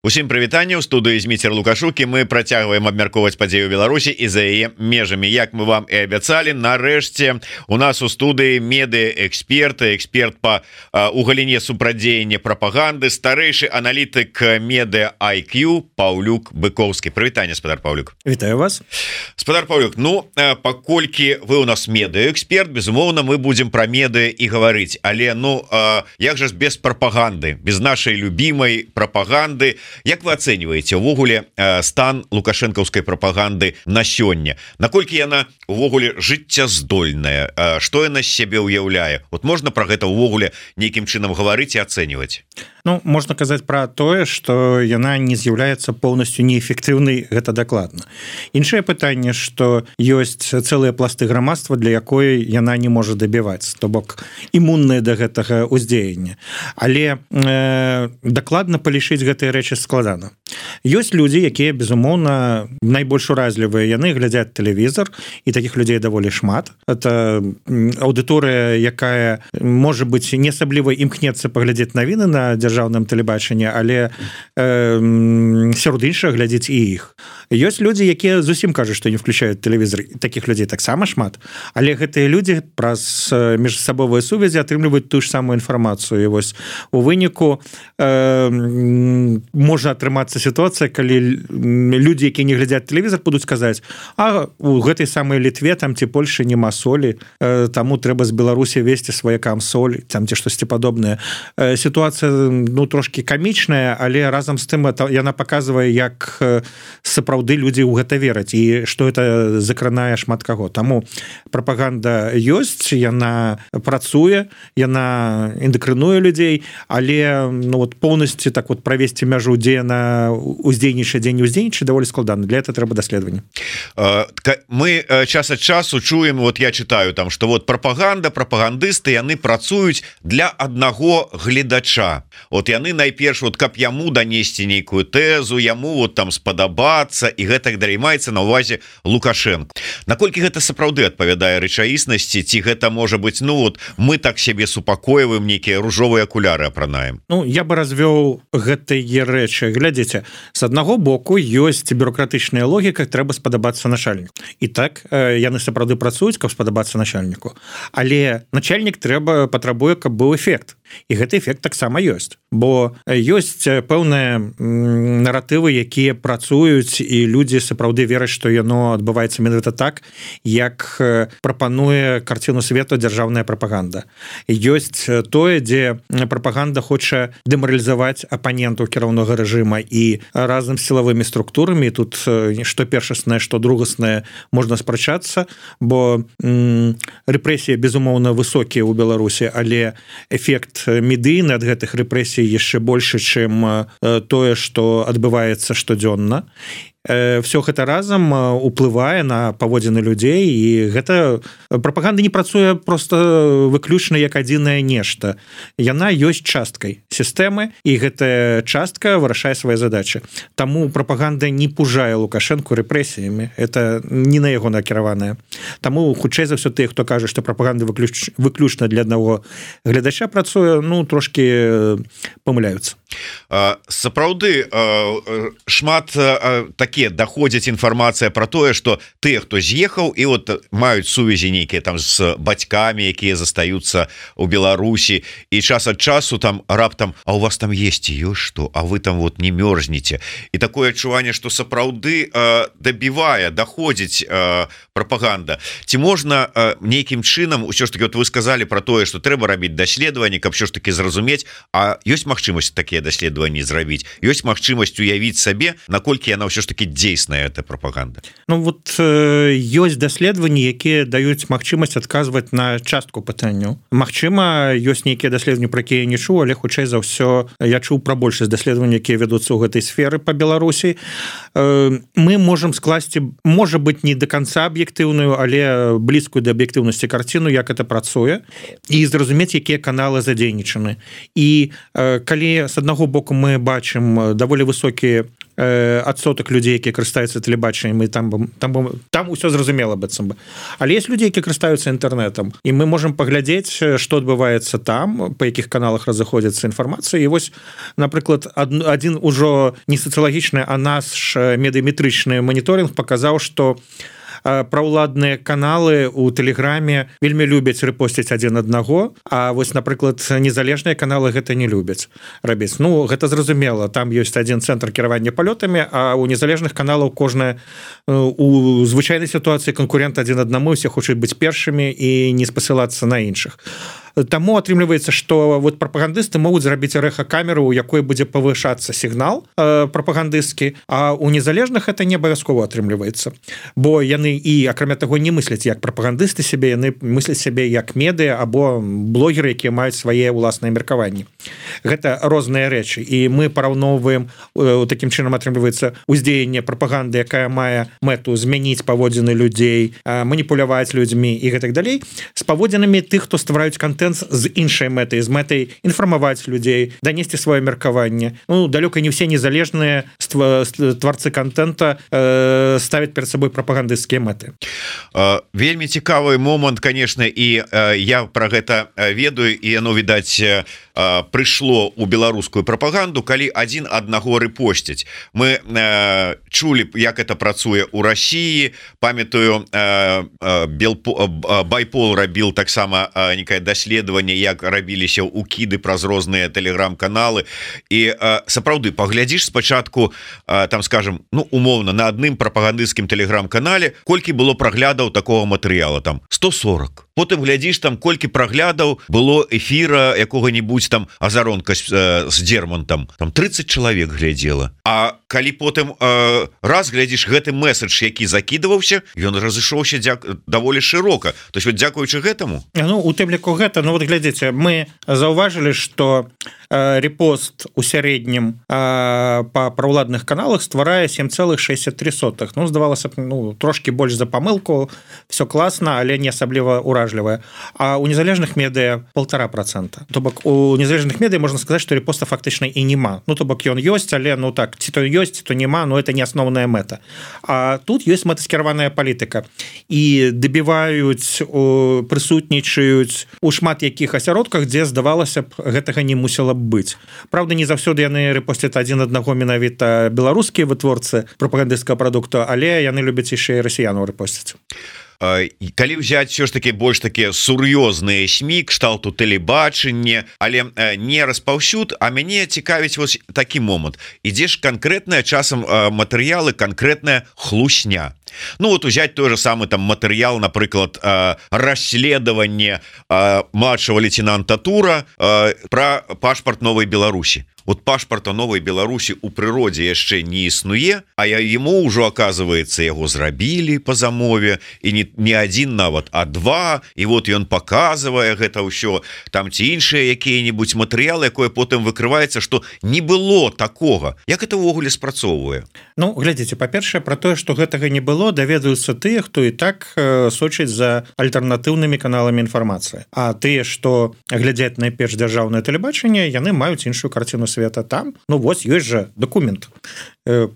Усім прывітанне ў студыі Зміцер Лукашукі. Мы працягваем абмяркоўваць падзею Беларусі і за яе межамі. Як мы вам і абяцалі, нарэшце у нас у студыі медыэксперт па у галіне супрадзеяння прапаганды, старэйшы аналітык медыа IQ Паўлюк Быкоўскі. Прывітанне, спадар Паўлюк. Вітаю вас. Спадар Паўлюк, паколькі вы у нас медыэксперт, безумоўна, мы будзем пра медыа і гаварыць, але як жа ж без прапаганды, без нашай любімай прапаганды. Як вы ацэньваеце увогуле стан лукашэнкаўскай прапаганды на сёння? Наколькі яна увогуле жыццяздольная? Што яна з сябе ўяўляе? Вот можна пра гэта увогуле нейкім чынам гаварыць і ацэньваць? Можна казаць пра тое, што яна не з'яўляецца поўнасцю неэфектыўнай, гэта дакладна. Іншае пытанне, што ёсць цэлыя пласты грамадства, для якой яна не можа дабіваць, то бок імунныя да гэтага ўздзеяння. Але дакладна палічыць гэтыя рэчы складана. Ёсць людзі, якія, безумоўна, найбольш уразлівыя, яны глядзяць тэлевізор, і такіх людзей даволі шмат. Это аўдыторыя, якая, можа быць, не асабліва імкнецца паглядзець навіны на дзяржаўным тэлебачанні, але сярод іншых глядзець і іх. Ёсць людзі, якія зусім кажуць, што не включаюць тэлевізор. Такіх людзей таксама шмат. Але гэтыя людзі праз міжсабовыя сувязі атрымліваюць тую ж самую інфармацыю. І вось у выніку можа атрымацца сітуацыя, калі людзі, якія не глядзяць тэлевізор, будуць казаць: а у гэтай самай Літве там ці Польшы няма солі, таму трэба з Беларусі весці сваякам соль, там ці штосьці падобнае. Сітуацыя трошки камічная, але разам з тым яна паказвае, як сапраўды людзі ў гэта вераць і што это закранае шмат каго. Таму прапаганда ёсць, яна працуе, яна эндакрынуе людзей, але поўнасцю так правесці мяжу, дзе яна уздзейнічае, дзе не уздзейнічае, даволі складана. Для этого трэба даследаванне. Мы час ад часу чуем, я читаю там, што прапаганда, прапагандысты, яны працуюць для аднаго гледача. Яны найперш, каб яму данесці нейкую тэзу, яму там спадабацца, і гэтак далей, маецца на ўвазе Лукашенко. Наколькі гэта сапраўды адпавядае рэчаіснасці, ці гэта можа быць, мы так сябе супакойваем, нейкія ружовыя акуляры апранаем? Я бы развёў гэтыя рэчы. Глядзіце, з аднаго боку ёсць бюрократычная логіка, трэба спадабацца начальніку. І так, яны сапраўды працуюць, каб спадабацца начальніку. Але начальнік патрабуе, каб быў эфект. І гэты эфект таксама ёсць. Бо ёсць пэўныя наратывы, якія працуюць, і людзі сапраўды вераць, што яно адбываецца менавіта так, як прапануе карціну свету дзяржаўная прапаганда. Ёсць тое, дзе прапаганда хоча дэмаралізаваць апанентаў кіраўнога рэжыма, і разам з сілавымі структурамі, тут што першаснае, што другаснае, можна спрачацца, бо рэпрэсіі, безумоўна, высокія ў Беларусі, але эфект медыйны ад гэтых рэпрэсій яшчэ большы, чым тое, што адбываецца штодзённа. Все гэта разам уплывае на паводзіны людзей, і гэта прапаганда не працуе просто выключна як адзінае нешта. Яна ёсць часткай сістэмы, і гэтая частка вырашае свае задачы. Таму прапаганда не пужае Лукашэнку рэпрэсіямі, это не на яго накіраваная. Таму хутчэй за ўсё тыя, хто кажа, што прапаганда выключна для аднаго гледача працуе, трошки памыляюцца. Сапраўды шмат такія даходзіць інфармацыя пра тое, што тыя, хто з'ехаў і маюць сувязі нейкія там з бацькамі, якія застаюцца ў Беларусі, і час ад часу там раптам: а у вас там есці ёсць што, а вы там не мёрзнеце. І такое адчуванне, што сапраўды дабівае, даходзіць прапаганда. Ці можна нейкім чынам, усё ж таки вы сказалі пра тое, што трэба рабіць даследаванні, каб ўсё ж таки зразумець, а ёсць магчымасць такія даследаванні зрабіць, ёсць магчымасць уявіць сабе, наколькі яна ўсё ж таки дзейсная, эта прапаганда? Ёсць даследаванні, якія даюць магчымасць адказваць на частку пытанняў. Магчыма, ёсць нейкія даследаванні, пра якія я не чуў, але хутчэй за ўсё я чуў пра большасць даследаванняў, якія вядуцца ў гэтай сферы па Беларусі. Мы можам скласці, можа быць, не до конца аб'ектыўную, але блізкую да аб'ектыўнасці карціну, як это працуе, і зразумець, якія каналы задзейнічаны. І калі з аднаго боку мы бачым даволі высокія адсотак людзей, якія карыстаюцца тэлебачаннем, і там усё зразумела быццам бы. Але есть людзі, які карыстаюцца інтэрнэтам, і мы можам паглядзець, што адбываецца там, па якіх каналах разыходзіцца інфармацыя. І вось, напрыклад, адзін ужо не сацыялагічны, а наш медыяметрычны маніторинг паказаў, што праўладныя каналы у тэлеграме вельмі любяць рэпосціць адзін аднаго, а вось, напрыклад, незалежныя каналы гэта не любяць рабіць. Ну, гэта зразумела, там ёсць адзін цэнтр кіравання палётамі, а у незалежных каналаў кожная у звычайнай сітуацыі канкурент адзін аднаму, усе хочуць быць першымі і не спасылацца на іншых. Таму атрымліваецца, што вот прапагандысты могуць зрабіць рэха-камеру, у якой будзе павышацца сігнал прапагандысцкі, а у незалежных это не абавязкова атрымліваецца. Бо яны і, акрамя таго, не мысляць як прапагандысты сябе, яны мысляць сябе як медыа або блогеры, якія маюць свае ўласныя меркаванні. Гэта розныя рэчы. І мы параўноўваем, такім чынам атрымліваецца ўздзеянне прапаганды, якая мае мэту змяніць паводзіны людзей, маніпуляваць людзьмі і гэтак далей, з паводзінамі тых, хто ствараюць контент з іншай мэтай, з мэтай інфармаваць людзей, данесці сваё меркаванне. Ну, далёка не ўсе незалежныя тварцы контента ставяць перад сабой прапагандысцкія мэты. Вельмі цікавы момант, конечно, і я про гэта ведаю, і яно, відаць, прыйшло ў беларускую прапаганду, калі адзін аднаго рэпосціць. Мы чулі, як это працуе ў Расіі, памятаю, Байпол рабіў таксама некае даследаванне, як рабіліся укіды праз розныя тэлеграм-каналы, і сапраўды паглядзіш спачатку, там, скажем, ну, умоўна, на адным прапагандысцкім тэлеграм-канале колькі было праглядаў такого матэрыяла, там 140. Потым глядзіш, там колькі праглядаў было эфіра якога-нибудь там азаронка з Дермантам, там 30 чалавек глядзела. А калі потым раз глядзіш гэты месседж, які закідываўся, ён разышоўся даволі шырока. То есть вот дзякуючы гэтаму. Ну, у тым ліку гэта, ну вот глядзіце, мы заўважылі, што рэпост у сярэднім па праўладных каналах стварае 7,63. Ну, здавалася б, ну, трошки больш за памылку, все класна, але не асабліва уражлівая. А у незалежных медыа 1,5%. То бок у незалежных медыа можна сказаць, што рэпоста фактычна і няма. Ну, то бок ён ёсць, але, ну так, ці то ёсць, ці то няма, но это не асноўная мэта. А тут ёсць мэтаскіраваная палітыка. І дабіваюць, прысутнічаюць у шмат якіх асяродках, дзе, здавалася б, гэтага не мусіла быць. Правда, не заўсёды яны рэпосцяць адзін аднаго менавіта беларускія вытворцы прапагандысцкага прадукту, але яны любяць яшчэ і расіянаў рэпосцяць. Калі ўзяць все ж таки больш такія сур'ёзныя СМІ, кшталту тэлебачання, але не распаўсюд, а мяне цікавіць вось такі момант. Ідзеш канкрэтная часам матэрыялы, канкрэтная хлусня. Ну вот узять той же самый там матэрыял, напрыклад, расследаванне младшего лейтенанта Тура про пашпарт Новой Беларусі. Вот пашпарта Новой Беларусі у прыродзе яшчэ не існуе, а ему ўжо, оказывается, яго зрабілі по замове, і не адзін нават, а два, і вот ён показывае гэта ўсё, там ці іншыя якія-нибудь матэрыялы, якое потым выкрываецца, што не было такога. Як это ўвогуле спрацоўвае? Ну, глядзіце, па-першае, пра тое, што гэтага не было, даведаюцца тыя, хто і так сочыць за альтэрнатыўнымі каналамі інфармацыі. А тыя, што глядзяць найперш дзяржаўнае тэлебачанне, яны маюць іншую карціну света. Там, ну вось, ёсць жа документ.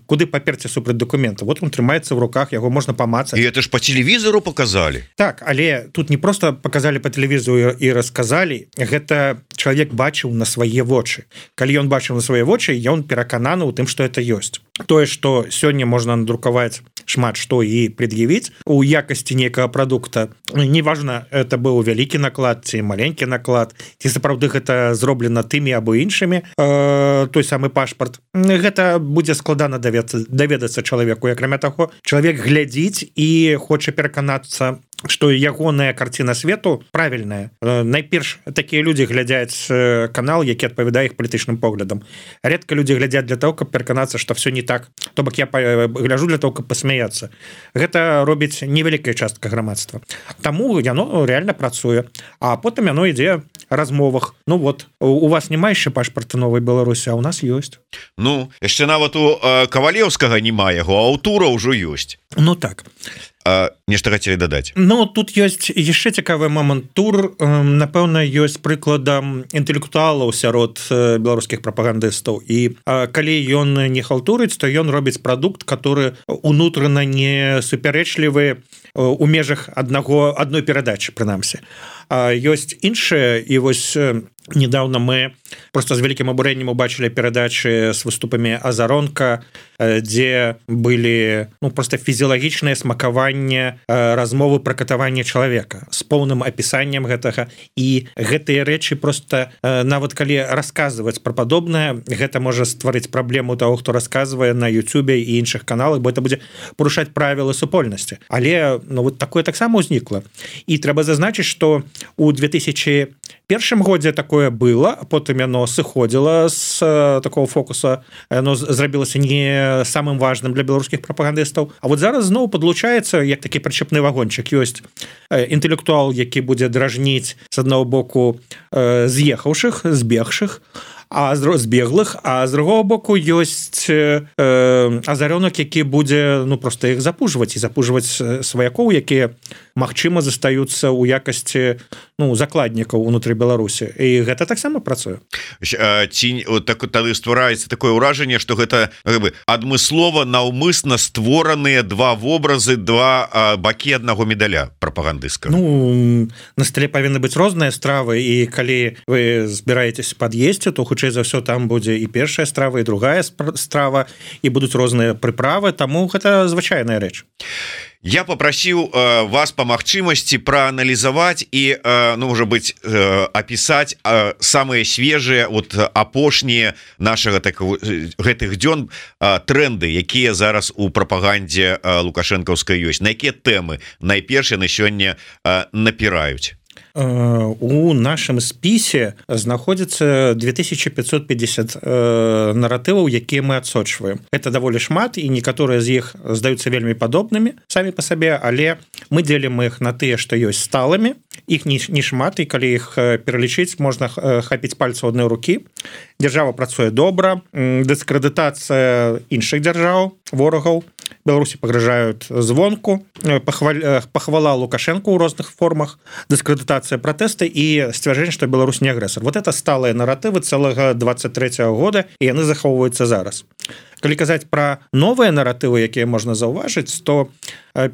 Куды паперці супраць документа? Вот он трымаецца в руках, яго можна памацаць. І это ж по телевізору показалі. Так, але тут не просто показалі по телевізору і расказалі, гэта чалавек бачыў на свае вочы. Калі ён бачыў на свае вочы, ён перакананы ў тым, што это ёсць. Тое, што сёння можна надрукаваць шмат што і пред'явіць у якасці нейкага прадукта, неважна, это быў вялікі наклад ці маленькі наклад, ці сапраўды гэта зроблена тымі або іншымі, той самы пашпарт, гэта будзе складана даведацца чалавеку. Акрамя таго, чалавек глядзіць і хоча пераканацца, што ягоная карціна свету правільная. Найперш такія людзі глядзяць канал, які адпавядае іх палітычным поглядам. Редка людзі глядзяць для того, каб пераканацца, што все не так. То бок я гляджу для того, каб пасмяяцца. Гэта робіць невялікая частка грамадства. Таму яно реально працуе. А потым яно ідзе размовах. Ну вот, у вас няма яшчэ пашпарта Новай Беларусі, а у нас ёсць. Ну, яшчэ нават у Кавалеўскага няма яго, а у Тура ўжо ёсць. Ну так. нешта хацелі дадаць? Ну тут ёсць яшчэ цікавы момант. Тур напэўна ёсць прыкладам інтэлектуалаў сярод беларускіх прапагандыстаў, і калі ён не халтурыць, то ён робіць прадукт, который унутрана не супярэчлівы у межах адной перадачы, прынамсі. Ёсць іншыя, і вось недавно мы просто з вялікім абурэннем убачылі перадачы з выступамі Азаронка, дзе былі просто фізіялагічнае смакаванне размовы пра катаванне чалавека з поўным апісаннем гэтага, і гэтыя рэчы просто нават калі расказваць пра падобнае, гэта можа стварыць праблему таго, хто расказвае на Ютубе і іншых каналах, бо это будзе парушаць правілы супольнасці. Але вот такое таксама ўзнікла. І трэба зазначыць, што у 2001 годзе такое было, а потым яно сыходзіла з такого фокуса, яно зрабілася не самым важным для беларускіх прапагандыстаў. А вот зараз зноў падлучаецца як такі прычэпны вагончык. Ёсць інтэлектуал, які будзе дражніць з аднаго боку з'ехаўшых, збегшых, збеглых, а з другого боку ёсць Азарёнак, які будзе просто іх запужваць і запужваць сваякоў, якія магчыма застаюцца ў якасці закладнікаў унутры Беларусі, і гэта таксама працуе. Тады ствараецца такое ўражанне, што гэта адмыслова наўмысна створаныя два вобразы, два бакі аднаго медаля прапагандысцкага. На стале павінны быць розныя стравы, і калі вы збіраецеся пад'есці, то хутчэй за ўсё там будзе і першая страва, і другая страва, і будуць розныя прыправы, таму гэта звычайная рэч. Я попросіў вас па магчымасці прааналізаваць і можа быць апісаць самыя свежыя апошнія нашага гэтых дзён тренды, якія зараз у прапагандзе лукашэнкаўскай ёсць, на якія тэмы найперш яны сёння напіраюць. У нашым спісе знаходзіцца 2550 наратываў, якія мы адсочваем. Это даволі шмат, і некаторыя з іх здаюцца вельмі падобнымі самі па сабе, але мы дзелім іх на тыя, што ёсць сталымі. Іх не шмат, і калі іх пералічыць, можна хапіць пальцу адной рукі. Дзяржава працуе добра, дыскрэдытацыя іншых дзяржаў, ворагаў Беларусі пагражаюць звонку, пахвала Лукашенко ў розных формах, дыскрэдытацыя пратэсты і сцвярджэнне, што Беларусь не агрэсар. Вот это сталыя наратывы цэлага 23-го года, і яны захоўваюцца зараз. Калі казаць пра новыя наратывы, якія можна заўважыць, то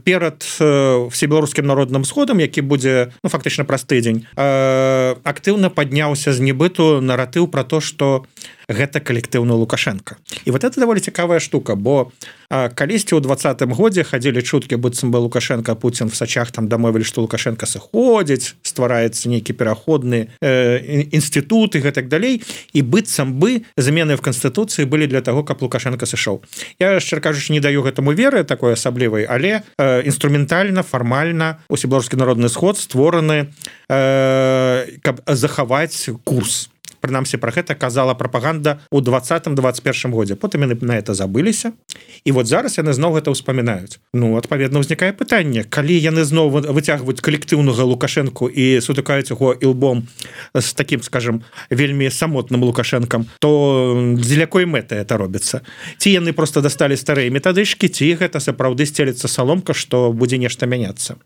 перад всебеларускім народным сходам, які будзе фактычна праз тыдзень, актыўна падняўся з небыту наратыў пра то, што гэта калектыўны Лукашенко. І вот это даволі цікавая штука, бо калісьці ў 20-м годзе хадзілі чуткі, быццам бы Лукашенко, Путін в сачах там дамовілі, што Лукашенко сыходзіць, ствараецца нейкі пераходны інстытут і гэтак далей, і быццам бы змены в Канстытуцыі былі для таго, каб Лукашенко сышоў. Я, шчыра кажучы, не даю гэтаму веры такой асаблівай, але інструментальна, фармальна усебеларускі народны сход створаны, каб захаваць курс. Прынамсі, пра гэта казала прапаганда ў 20-21 годзе. Потым яны на это забыліся. І вот зараз яны зноў гэта ўспамінаюць. Адпаведна, ўзнікае пытанне, калі яны зноў выцягваюць калектыўнага Лукашэнку і сутыкаюць яго ілбом з такім, скажем, вельмі самотным Лукашэнкам, то дзеля якой мэты это робіцца? Ці яны просто дасталі старыя метадычкі, ці гэта сапраўды сцелецца саломка, што будзе нешта мяняцца?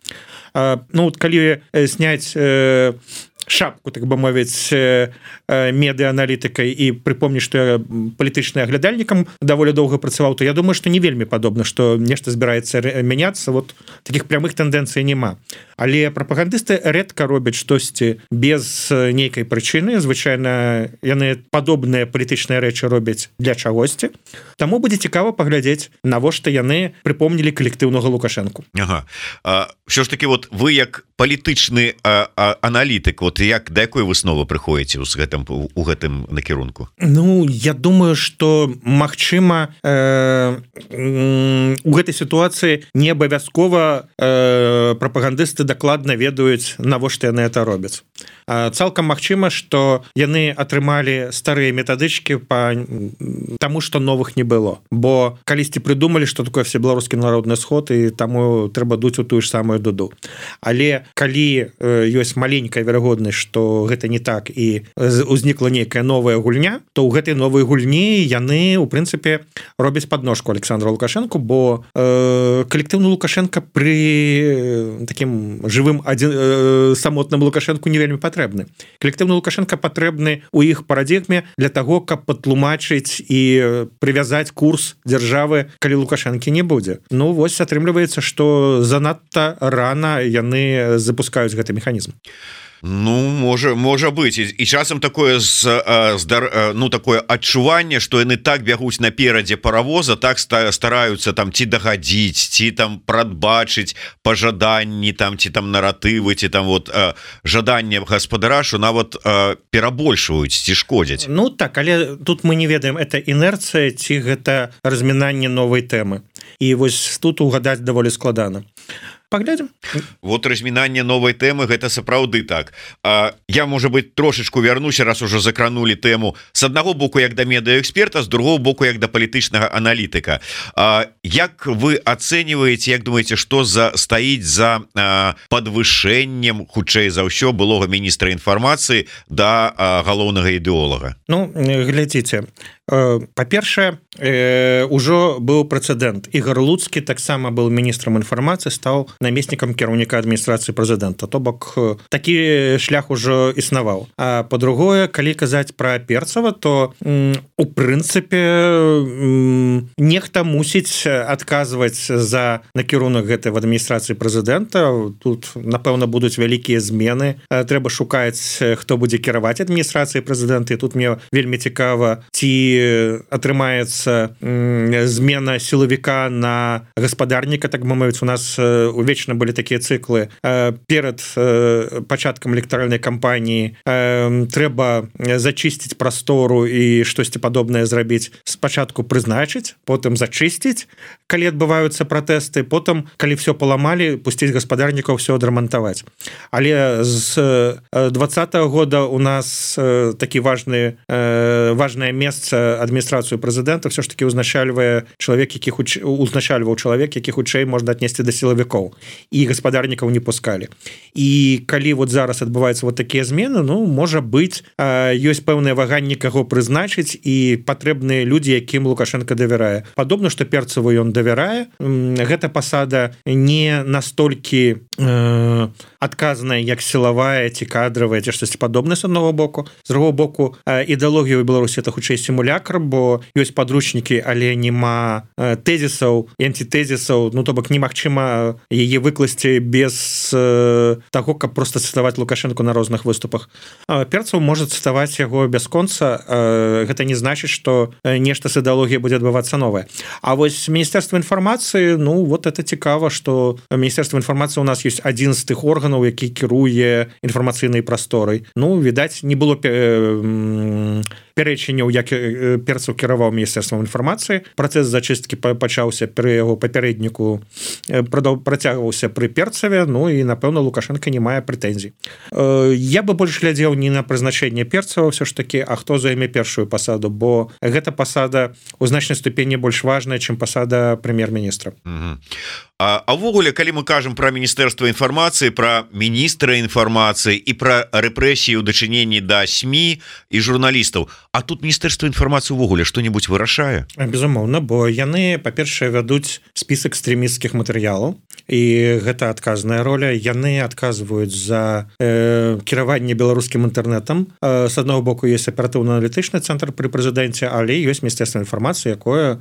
Калі сняць шапку, так бы мовіць, медыааналітыкай і прыпомніць, што я палітычны аглядальнікам даволі доўга працаваў, то я думаю, што не вельмі падобна, што нешта збіраецца мяняцца, такіх прямых тэндэнцый няма. Але прапагандысты рэдка робяць штосьці без нейкай прычыны, звычайна яны падобныя палітычныя рэчы робяць для чагосьці. Таму будзе цікава паглядзець, навошта яны прыпомнілі калектыўнага Лукашэнку. Що ж таки, вы як палітычны аналітык, да якой высновы прыходзіце у гэтым накірунку? Я думаю, што магчыма у гэтай сітуацыі не абавязкова прапагандысты дакладна ведаюць, навошта яны это робяць. Цалкам магчыма, што яны атрымалі старыя метадычкі таму, што новых не было. Бо калісьці прыдумалі, што такое всебеларускі народны сход, і таму трэба дуць у тую ж самую дуду. Але калі ёсць маленькая верагоднасць, пэўнасць што гэта не так і узнікла нейкая новая гульня, то ў гэтай новай гульні яны у прынцыпе робяць подножку Александру Лукашенко, бо калектыўны Лукашенко при таким жывым самотным Лукашенко не вельмі патрэбны. Калектыўны Лукашенко патрэбны у іх парадыгме для того, каб патлумачыць і прывязаць курс дзяржавы, калі Лукашенко не будзе. Ну вось атрымліваецца, што занадта рана яны запускаюць гэты механізм. Ну можа быть і часам такое такое адчуванне, што яны так бягуць наперадзе паравоза, так стараюцца там ці дагадзіць, ці там прадбачыць пажаданні там ці там наратывы, ці там вот жаданне гаспадара, што нават перабольшваюць ці шкодзяць. Ну так, але тут мы не ведаем, это інерцыя ці гэта размінанне новай тэмы. І вось тут угадаць даволі складана. Паглядзім. Вот размінанне новай тэмы гэта сапраўды так. Я можа быть трошечку вярнуся, раз уже закранули тэму с аднаго боку як да медыаэксперта, з другого боку як да палітычнага аналітыка. Як вы ацэньваеце, як думаеце, што стаіць за падвышэннем хутчэй за ўсё былога міністра інфармацыі да галоўнага ідэолага? Ну глядзіце, па-першае, ужо быў прэцэдэнт. Ігор Луцкі таксама быў міністрам інфармацыі, стаў намеснікам кіраўніка адміністрацыі прэзідэнта. То бок такі шлях ужо існаваў. А па-другое, калі казаць пра Перцава, то у прынцыпе нехта мусіць адказваць за накірунак гэтай в адміністрацыі прэзідэнта. Тут напэўна будуць вялікія змены. Трэба шукаць, хто будзе кіраваць адміністрацыяй прэзідэнта. І тут мне вельмі цікава, ці атрымаецца змена сілавіка на гаспадарніка, так бы мовіць. У нас увечна былі такія цыклы. Перад пачаткам электаральнай кампаніі трэба зачысціць прастору і штосьці падобнае зрабіць. Спачатку прызначыць, потым зачысціць, калі адбываюцца пратэсты, потым, калі все паламалі, пусціць гаспадарнікаў, все адрамантаваць. Але з 20-го года у нас такі важнае месца адміністрацыю прэзідэнта все ж таки узначальвае чалавек, узначальваў чалавек, які хутчэй можна аднесці да сілавікоў, і гаспадарнікаў не пускалі. І калі вот зараз адбываюцца вот такія змены, ну можа быць, ёсць пэўнае ваганне, каго прызначыць, і патрэбныя людзі, якім Лукашенко давярае. Падобна, што Перцаву ён давярае. Гэта пасада не настолькі адказная, як сілавая ці кадравая ці штосьці падобнае з аднаго боку. З другого боку, ідэалогія ў Беларусі это хутчэй сімулякр, бо ёсць падручнікі, але нема тэзісаў і антитэзісаў. Ну то бок немагчыма яе выкласці без таго, каб просто цытаваць Лукашенко на розных выступах. Перцаў можа цытаваць яго бясконца. Гэта не значыць, што нешта з ідэалогіяй будзе адбывацца новае. А вось Міністэрства інфармацыі, ну вот это цікава, што Міністэрства інфармацыі у нас ёсць адзін з тых органаў, які кіруе інфармацыйнай прасторай. Ну, відаць, не было пярэчанняў, як Перцаў кіраваў Міністэрствам інфармацыі. Працэс зачысткі пачаўся пры яго папярэдніку, працягваўся пры Перцаве, ну і, напэўна, Лукашенко не мае прэтэнзій. Я бы больш глядзеў не на прызначэнне Перцава ўсё ж такі, а хто займе першую пасаду, бо гэта пасада ў значнай ступені больш важная, чым пасада прэм'ер-міністра. А ўвогуле, калі мы кажам пра Міністэрства інфармацыі, пра міністра інфармацыі і пра рэпрэсіі ў дачыненні да СМІ і журналістаў, а тут Міністэрства інфармацыі ўвогуле што-небудзь вырашае? Безумоўна, бо яны, па-першае, вядуць спіс экстрэмісцкіх матэрыялаў, і гэта адказная роля. Яны адказваюць за кіраванне беларускім інтэрнэтам. З аднаго боку, ёсць аператыўна-аналітычны цэнтр пры прэзідэнце, але ёсць Міністэрства інфармацыі, якое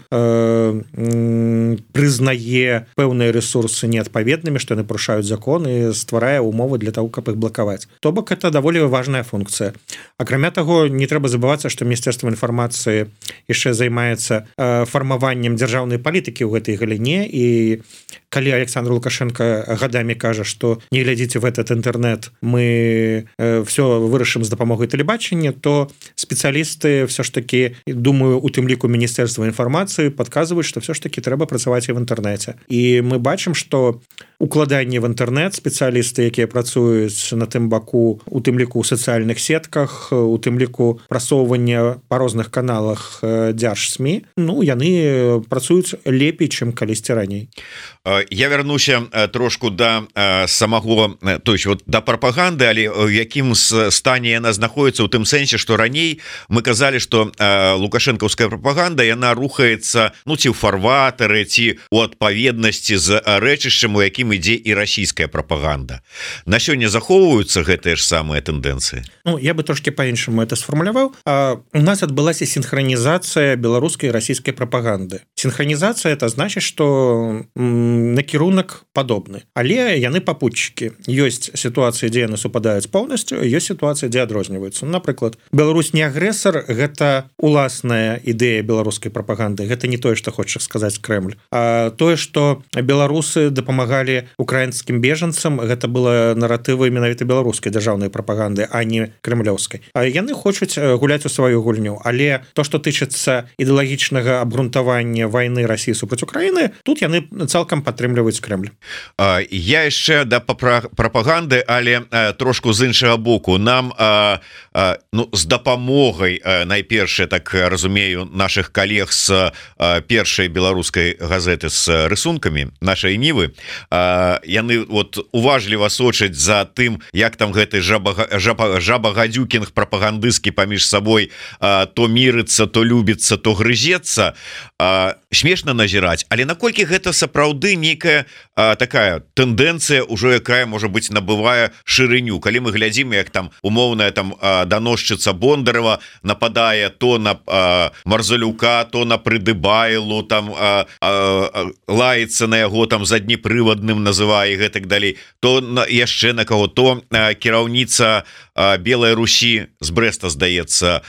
прызнае пэўныя ресурсы неадпаведнымі, што яны парушаюць закон і стварае умовы для того, каб іх блакаваць. То бок это даволі важная функцыя. Акрамя таго, не трэба забывацца, што Міністэрства інфармацыі яшчэ займаецца фармаваннем дзяржаўнай палітыкі ў гэтай галіне, і калі Александр Лукашенко гадамі кажа, што не глядзіце в этот інтэрнэт, мы все вырашым з дапамогай тэлебачання, то спецыялісты все ж таки, думаю, у тым ліку Міністэрства інфармацыі падказваюць, што все ж таки трэба працаваць і в інтэрнэце. І мы бачым, што укладанне в інтэрнэт спецыяліст прапагандысты, якія працуюць на тым баку, у тым ліку ў сацыяльных сетках, у тым ліку прасоўвання па розных каналах дзярж-СМІ, ну яны працуюць лепей, чым калісьці раней. Я вярнуся трошку да самого, то есть вот да прапаганды, але в якім стане яна знаходіцца, у тым сэнсе, што раней мы казалі, што лукашэнкаўская прапаганда яна рухаецца, ну ці ў фарватары, ці у адпаведнасці з рэчышчам, у якім ідзе і расійская прапаганда. На сёння захоўваюцца гэтыя ж самыя тэндэнцыі? Ну, я бы трошки по-іншаму это сфармуляваў. У нас адбылася синхронизация беларускай и российской пропаганды. Синхронизация это значит, что накірунак падобны, але яны попутчики. Ёсць ситуация, дзе яны супадаюць полностью, ёсць ситуация, дзе адрозніваюцца. Напрыклад, Беларусь не агрэсар, гэта уласная ідэя беларускай пропаганды. Гэта не тое, што хоча сказаць Кремль. А тое, што беларусы дапамагалі украінскім бежанцам, гэта было наратывы менавіта беларускай дзяржаўнай прапаганды, а не кремлёўскай. Яны хочуць гуляць у сваю гульню, але то, што тычыцца ідэалагічнага абгрунтавання вайны Расіі супраць Украіны, тут яны цалкам падтрымліваюць Кремль. Я яшчэ да прапаганды, але трошку з іншага боку. Нам з дапамогай, найперш, так разумею, наших калег з першай беларускай газеты з рысункамі нашай Нівы, яны уважліва сочаць за тым, як там гэты жабагадзюкінг прапагандысцкі паміж сабой то мірыцца, то любіцца, то грызецца. Смешна назіраць, але наколькі гэта сапраўды нейкая такая тэндэнцыя, ужо якая, можа быць, набывае шырыню. Калі мы глядзім, як там умоўная там даносчыца Бондарева нападае то на Марзалюка, то на Прыдыбайлу, там лаецца на яго там заднепрывадным называе і гэтак далей, то яшчэ на каго, то кіраўніца Белай Русі з Брэста, здаецца,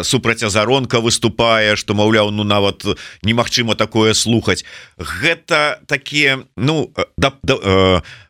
супраць Азаронка выступае, што, маўляў, ну нават немагчыма такое слухаць. Гэта такія, ну,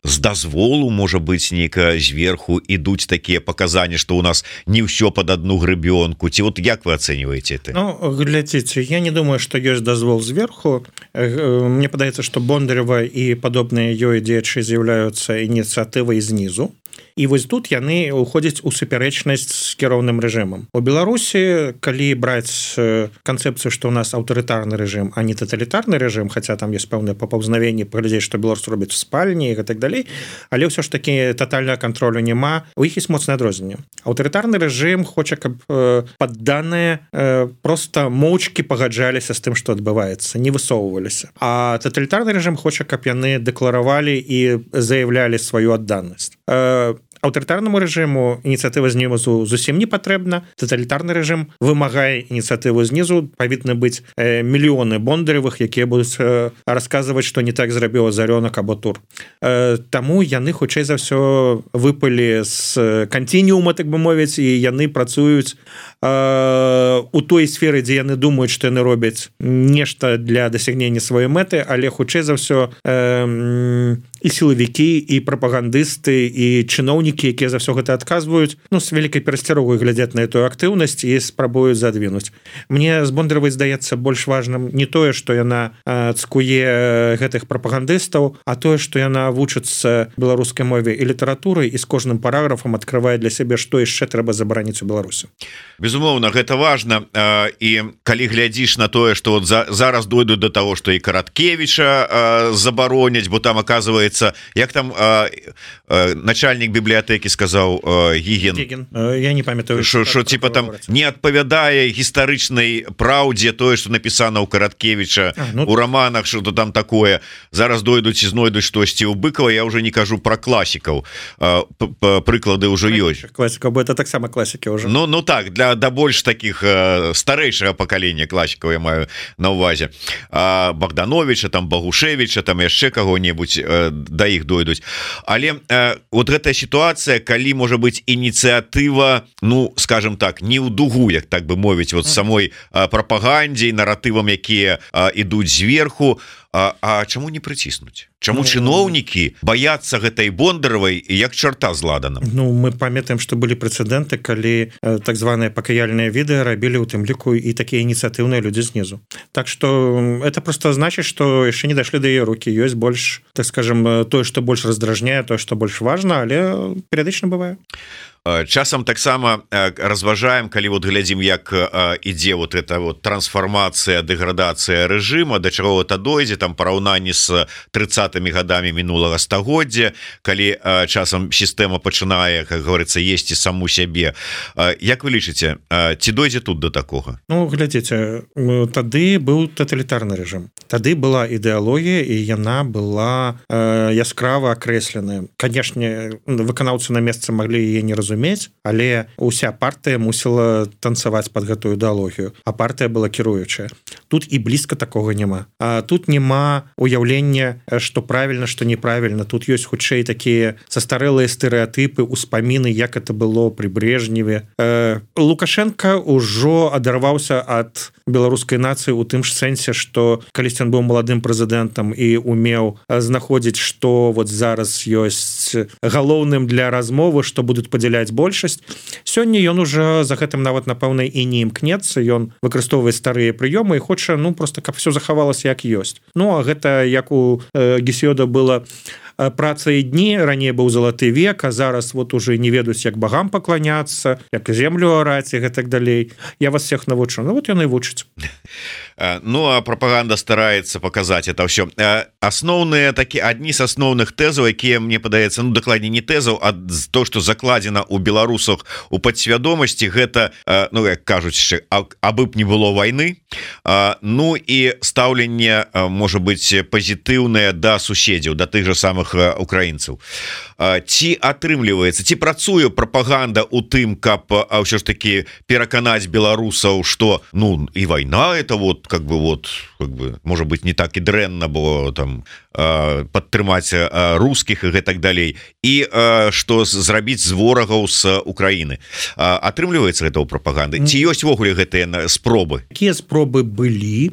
з дазволу, можа быць, нейка зверху ідуць такія паказанні, што ў нас не ўсё пад адну грыбёнку. Ці вот як вы ацэньваеце это? Ну, глядзіце, я не думаю, што ёсць дазвол зверху. Мне падаецца, што Бондарева і падобныя ёй дзеячы з'яўляюцца ініцыятывай знізу. І вось тут яны уходзяць у супярэчнасць з кіроўным рэжымам. У Беларусі, калі браць канцэпцыю, што ў нас аўтарытарны рэжым, а не таталітарны рэжым, хаця там ёсць пэўнае папаўзнавенне, паглядзець, што беларусы робяць в спальні і гэтак далей, але ўсё ж такі татальнага кантролю няма. У іх ёсць моцнае адрозненне. Аўтарытарны рэжым хоча, каб падданыя проста моўчкі пагаджаліся з тым, што адбываецца, не высоўваліся. А таталітарны рэжым хоча, каб яны дэкларавалі і заяўлялі сваю адданасць. Аўтарытарнаму рэжыму ініцыятыва знізу зусім не патрэбна. Таталітарны рэжым вымагае ініцыятыву знізу. Павінны быць мільёны Бондаревых, якія будуць расказваць, што не так зрабіў Азарёнак або Тур. Таму яны хутчэй за ўсё выпалі з канцініума, так бы мовіць, і яны працуюць у той сферы, дзе яны думаюць, што яны робяць нешта для дасягнення сваёй мэты, але хутчэй за ўсё і сілавікі, і прапагандысты, і чыноўнікі, якія за ўсё гэта адказваюць, ну, з вялікай перасцярогай глядзяць на эту актыўнасць і спрабуюць задвінуць. Мне з Бондаровай здаецца больш важным не тое, што яна цкуе гэтых прапагандыстаў, а тое, што яна вучыцца беларускай мове і літаратуры і з кожным параграфам адкрывае для сябе, што яшчэ трэба забараніць у Беларусі. Безумоўна, гэта важна. І калі глядзіш на тое, што вот зараз дойдуць до того, што і Караткевіча забароняць, бо там оказывается, як там начальник бібліятэкі сказаў, Гіген, я не памятаю, що типа там не адпавядае гістарычнай праўдзе тое, што напісана ў Караткевіча у романах, што там такое. Зараз дойдуць і знойдуць штосьці ў Быкова. Я уже не кажу про класікаў, прыклады ўжо ёсць. Класікаў, бо это таксама класікі ўжо. Ну так, для больш таких старэйшага пакалення класікаў я маю на ўвазе. Богдановича, там Багушевича, там яшчэ каго-небудзь да іх дойдуць. Але вот гэтая сітуацыя, калі можа быць ініцыятыва, ну скажем так, не ў дугу, як так бы мовіць, вот самой прапагандзе і наратывам, якія ідуць зверху, А чаму не прыціснуць? Чаму чыноўнікі баяцца гэтай Бондаравай як чарта з ладаном? Ну мы памятаем, што былі прэцэдэнты, калі так званыя пакаяльныя відэа рабілі ў тым ліку і такія ініцыятыўныя людзі знізу. Так што это просто значыць, што яшчэ не дашлі да яе рукі, ёсць больш, так скажем, тое, што больш раздражняе, тое, што больш важна, але перыядычна бывае. Часам таксама разважаем, калі вот глядзім, як ідзе вот эта вот трансфармацыя, дэградацыя рэжыма, да чаго это дойдзе, там параўнанні з 30-ми гадамі мінулага стагоддзя, калі часам сістэма пачынае, как говорится, есці саму сябе. Як вы лічыце, ці дойдзе тут до такога? Ну глядзіце, тады быў таталітарны рэжым, тады была ідэалогія і яна была яскрава акрэсленая. Канешне, выканаўцы на месцы маглі яе не разумець, але уся партыя мусіла танцаваць под гэтую ідэалогію, а партыя была кіруючая. Тут і блізка такога няма. Тут няма уяўлення, што правільна, што неправільна. Тут ёсць хутчэй такія састарэлыя стэрэатыпы, успаміны, як это было пры Брежневе. Лукашенко ўжо адарваўся ад беларускай нацыі ў тым ж сэнсе, што калісьці ён быў маладым прэзідэнтам і умеў знаходзіць, што вот зараз ёсць галоўным для размовы, што будуць падзяляць большасць. Сёння ён уже за гэтым нават напэўна і не імкнецца, ён выкарыстоўвае старыя прыёмы і хоча, ну просто каб все захавалася як ёсць. Ну а гэта як у Гесіёда было праца і дні, раней быў залаты век, а зараз вот уже не ведаюць, як багам пакланяцца, як землю араць і гэтак далей. Я вас всех навучу. Ну вот ён і вучыць. Ну а прапаганда стараецца паказаць это ўсё. Асноўныя такі адні з асноўных тэзаў, якія мне падаецца, ну дакладней не тэзаў, а то, што закладзена ў беларусах у падсвядомасці, гэта, ну як кажуць, абы б не было вайны. Ну і стаўленне можа быць пазітыўнае да суседзяў, да тых жа самых украінцаў. Ці атрымліваецца, ці працуе прапаганда ў тым, каб ўсё ж такі пераканаць беларусаў, што ну і вайна это вот как бы может быть не так і дрэнна, бо там падтрымаць рускіх і гэтак далей, і што зрабіць з ворагаў з Украіны. Атрымліваецца гэта ў прапаганды? Ці ёсць увогуле гэтыя спробы? Такія спробы былі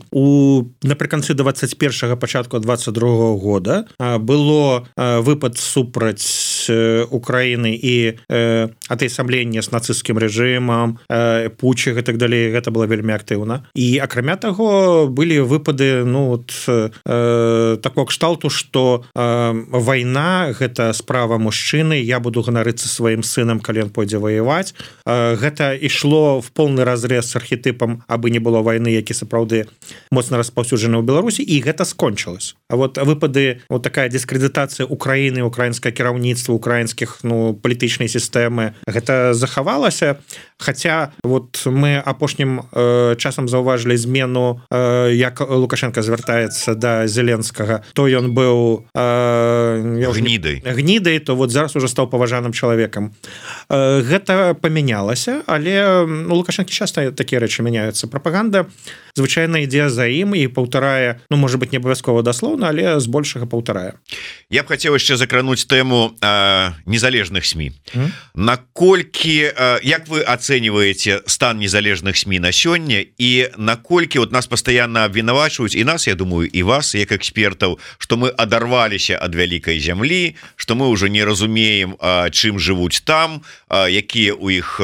напрыканцы 21-го, пачатку 22-го года. Было выпад супраць Украіны і атаясамлення з нацысцкім рэжымам, путчы гэтак далей, гэта было вельмі актыўна. І акрамя таго былі выпады такого кшталту, што вайна гэта справа мужчыны, я буду ганарыцца сваім сынам, калі ён пойдзе ваяваць. Гэта ішло в полны разрез з архетыпам абы не было вайны, які сапраўды моцна распаўсюджаны ў Беларусі, і гэта скончылось. А вот выпады, вот такая дыскрэдытацыя Украіны, украінскае кіраўніцтва, украінскіх палітычнай сістэмы, гэта захавалася. Хаця вот мы апошнім часам заўважылі змену, як Лукашенко звяртаецца да Зеленскага, то ён быў гнідай, то вот зараз уже стаў паважаным чалавекам. Гэта памянялася, але Лукашенко часта такія рэчы мяняюцца. Прапаганда звычайна ідзе за ім і паўтарае, ну можа быть не абавязкова даслоўна, але збольшага паўтарае. Я б хацеў яшчэ закрануць тэму незалежных СМІ. Наколькі, як вы ацэньваеце стан незалежных СМІ на сёння, і наколькі вот нас пастаянна абвінавачваюць, і нас, я думаю, і вас як экспертаў, што мы адарваліся ад вялікай зямлі, што мы ўжо не разумеем, чым жывуць там, якія ў іх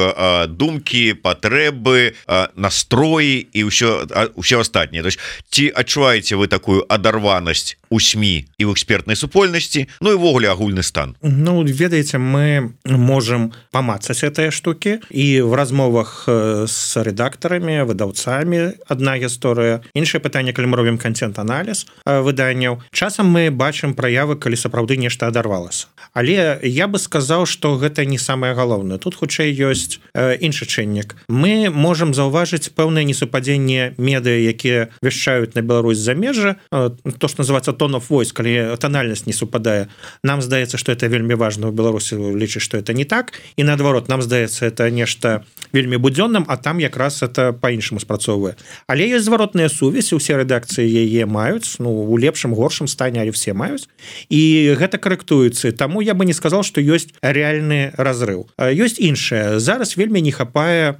думкі, патрэбы, настроі і ўсё астатняе. Ці адчуваеце вы такую адарванасць у СМІ і ў экспертнай супольнасці, ну і ввогуле агульны стан? Ну, ведаеце, мы можем памацаць гэтыя штукі, і в размовах с рэдактарамі, выдаўцамі адна гісторыя. Іншае пытанне, калі мы робім контент-аналіз выданняў, часам мы бачым праявы, калі сапраўды нешта адарвалася. Але я бы сказаў, што гэта не самае галоўнае. Тут хутчэй ёсць іншы чыннік. Мы можам заўважыць пэўнае несупадзенне медыа, якія вяшчаюць на Беларусь замежжа, то, што называецца tone of voice, калі тональнасць не супадае. Нам здаецца, што это вельмі важна, у Беларусі лічыць, што это не так, і наадварот, нам здаецца, это нешта вельмі будзённым, а там якраз это па-іншаму спрацоўвае. Але ёсць зваротная сувязь, усе рэдакцыі яе маюць, ну, у лепшым, горшым стане, але все маюць, і гэта карэктуецца. Таму я бы не сказал, што ёсць рэальны разрыў. Ёсць іншае. Зараз вельмі не хапае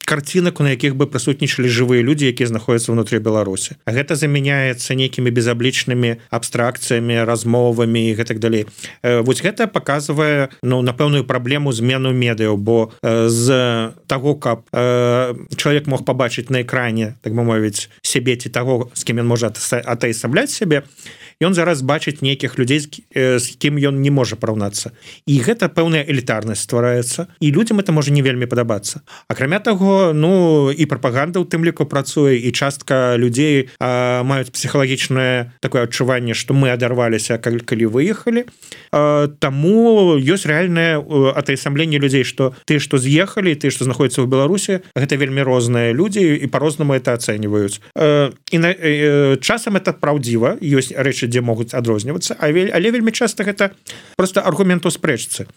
карцінак, на якіх бы прысутнічалі жывыя людзі, якія знаходзяцца ўнутры Беларусі. А гэта замяняецца нейкімі безаблічнымі абстракцыямі, размовамі і гэтак далей. Вось гэта паказвае, ну, напэўную праблему змену медыяў, бо з таго, каб чалавек мог пабачыць на экране, так бы мовіць, сябе ці таго, з кім ён можа атаясамляць сябе, ён зараз бачыць нейкіх людзей, з кім ён не можа параўнацца. І гэта пэўная элітарнасць ствараецца, і людзям это можа не вельмі падабацца. Акрамя таго, ну, і прапаганда ў тым ліку працуе, і частка людзей маюць псіхалагічнае такое адчуванне, што мы адарваліся, калі выехалі. Таму ёсць рэальнае атаясамленне людзей, што ты, што з'ехалі, ты, што знаходзіцца ў Беларусі, гэта вельмі розныя людзі, і па-рознаму это ацэньваюць. І часам это праўдзіва, ёсць рэчы, дзе могуць адрознівацца, але вельмі часта гэта просто аргумент у спрэчцы.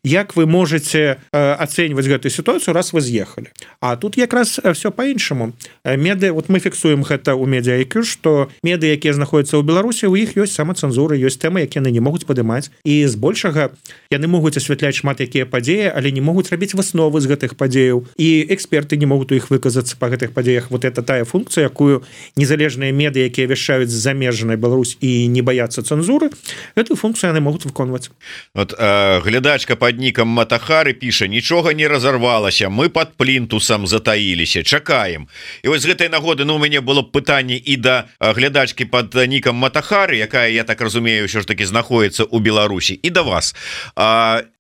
Як вы можете ацэньваць гэтую сітуацыю, раз вы з'ехалі? А тут якраз все по-іншаму. Меды, вот мы фіксуем гэта ў медыа-IQ, што меды, якія знаходзяцца ў Беларусі, у іх ёсць самацэнзура, ёсць тэмы, якія яны не могуць падымаць. І збольшага яны могуць асвятляць шмат якія падзеі, але не могуць рабіць высновы з гэтых падзеяў. І эксперты не могуць у іх выказацца па гэтых падзеях. Вот это тая функцыя, якую незалежныя меды, якія вяшчаюць з замежнай Беларусь і не баяцца цэнзуры, гэтую функцыю яны могуць выконваць. Вот глядачка под ником Матахары піша: нічога не разорвалася, мы под плінтусам затаіліся, чакаем. І вось з гэтай нагоды, ну, у мяне было пытанне і да глядачкі под ником Матахары, якая, я так разумею, ўсё ж таки знаходіцца ў Беларусі, і да вас.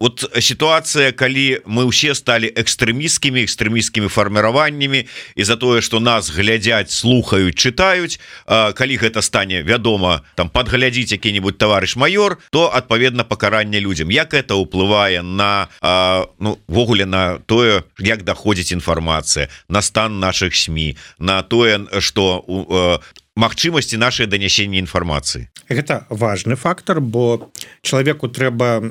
Вот сітуацыя, калі мы ўсе сталі экстрэмісцкімі фарміраваннямі, і за тое, што нас глядзяць, слухаюць, чытаюць, калі гэта стане вядома, там падглядзіць які-нибудь таварыш майор, то адпаведна пакаранне людзям. Як это ўплывае на, ну, ввогуле на тое, як даходзіць інфармацыя, на стан наших СМІ, на тое, што магчымасці нашай данясення інфармацыі? Гэта важны фактор, бо чалавеку трэба